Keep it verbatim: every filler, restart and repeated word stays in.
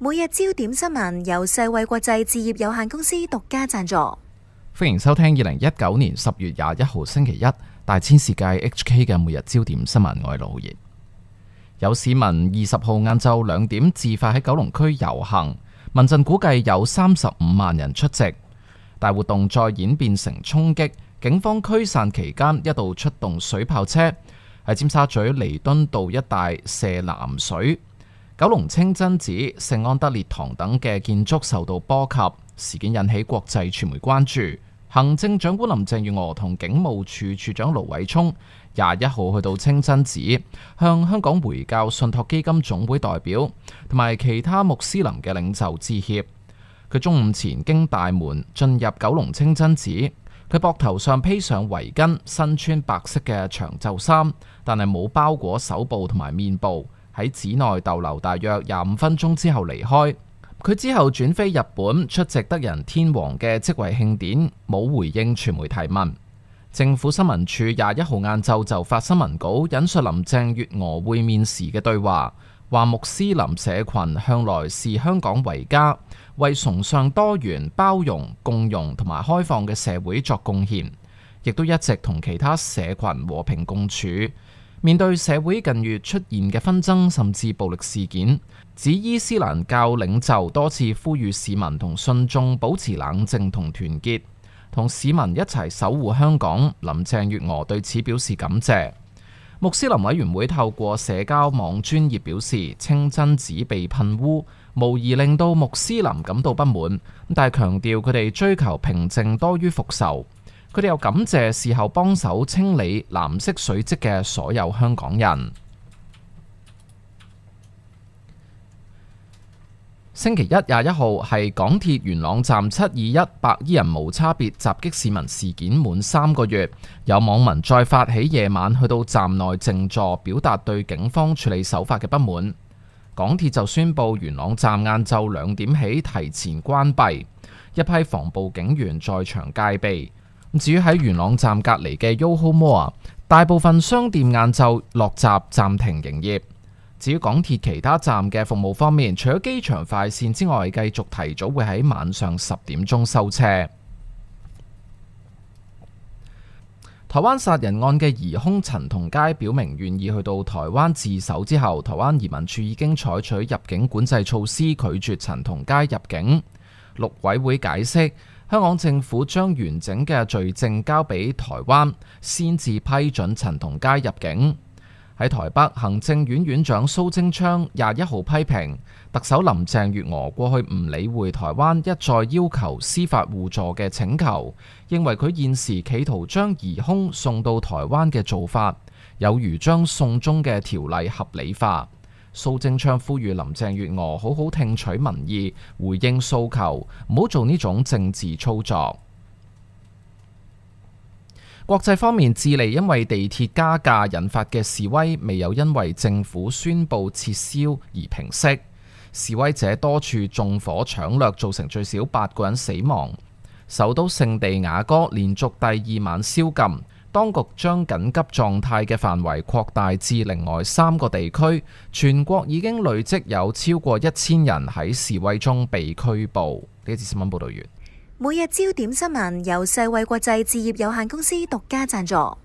每日焦點新聞由世衛國際置業有限公司獨家贊助。歡迎收聽二零一九年十月廿一號星期一大千世界 H K 嘅每日焦點新聞。我係盧浩然。有市民二十號晏晝兩點自發喺九龍區遊行，民陣估計有三十五萬人出席。大活動再演變成衝擊，警方驅散期間一度出動水炮車喺尖沙咀彌敦道一帶射藍水。九龍清真寺、聖安德烈堂等嘅建築受到波及，事件引起國際傳媒關注。行政長官林鄭月娥同警務處處長盧偉聰廿一號去到清真寺，向香港回教信託基金總會代表同埋其他穆斯林嘅領袖致歉。佢中午前經大門進入九龍清真寺，佢膊頭上披上圍巾，身穿白色嘅長袖衫，但係冇包裹手部同埋面部。喺寺內逗留大約廿五分鐘之後離開。佢之後轉飛日本出席德仁天皇嘅即位慶典，冇回應傳媒提問。政府新聞處廿一號晏晝就發新聞稿，引述林鄭月娥會面時嘅對話，話穆斯林社群向來視香港為家，為崇尚多元、包容、共融同埋開放嘅社會作貢獻，亦都一直同其他社群和平共處。面對社會近月出現嘅紛爭甚至暴力事件，指伊斯蘭教領袖多次呼籲市民同信眾保持冷靜同團結，同市民一齊守護香港。林鄭月娥對此表示感謝。穆斯林委員會透過社交網專頁表示，清真寺被噴污，無疑令到穆斯林感到不滿，但係強調佢哋追求平靜多於復仇。佢哋又感謝事後幫手清理藍色水漬嘅所有香港人。星期一廿一號係港鐵元朗站七二一白衣人無差別襲擊市民事件滿三個月，有網民再發起夜晚去到站內靜坐，表達對警方處理手法嘅不滿。港鐵就宣布元朗站晏晝兩點起提前關閉，一批防暴警員在場戒備。至於喺元朗站隔離嘅 Yoho Mall， 大部分商店晏晝落閘暫停營業。至於港鐵其他站嘅服務方面，除咗機場快線之外，繼續提早會喺晚上十點鐘收車。台灣殺人案嘅疑兇陳同佳表明願意去到台灣自首之後，台灣移民署已經採取入境管制措施，拒絕陳同佳入境。陸委會解釋，香港政府將完整嘅罪證交俾台灣，先至批准陳同佳入境。喺台北，行政院院長蘇貞昌廿一號批評特首林鄭月娥過去唔理會台灣一再要求司法互助嘅請求，認為佢現時企圖將疑兇送到台灣嘅做法，有如將送中嘅條例合理化。蘇貞昌呼籲林鄭月娥好好聽取民意，回應訴求，唔好做呢種政治操作。國際方面，智利因為地鐵加價引發嘅示威未有因為政府宣布撤銷而平息，示威者多處縱火搶掠，造成最少八個人死亡。首都聖地亞哥連續第二晚宵禁，當局將緊急狀態嘅範圍擴大至另外三個地區，全國已經累積有超過一千人喺示威中被拘捕。呢節新聞報道完。每日焦點新聞由世衛國際置業有限公司獨家贊助。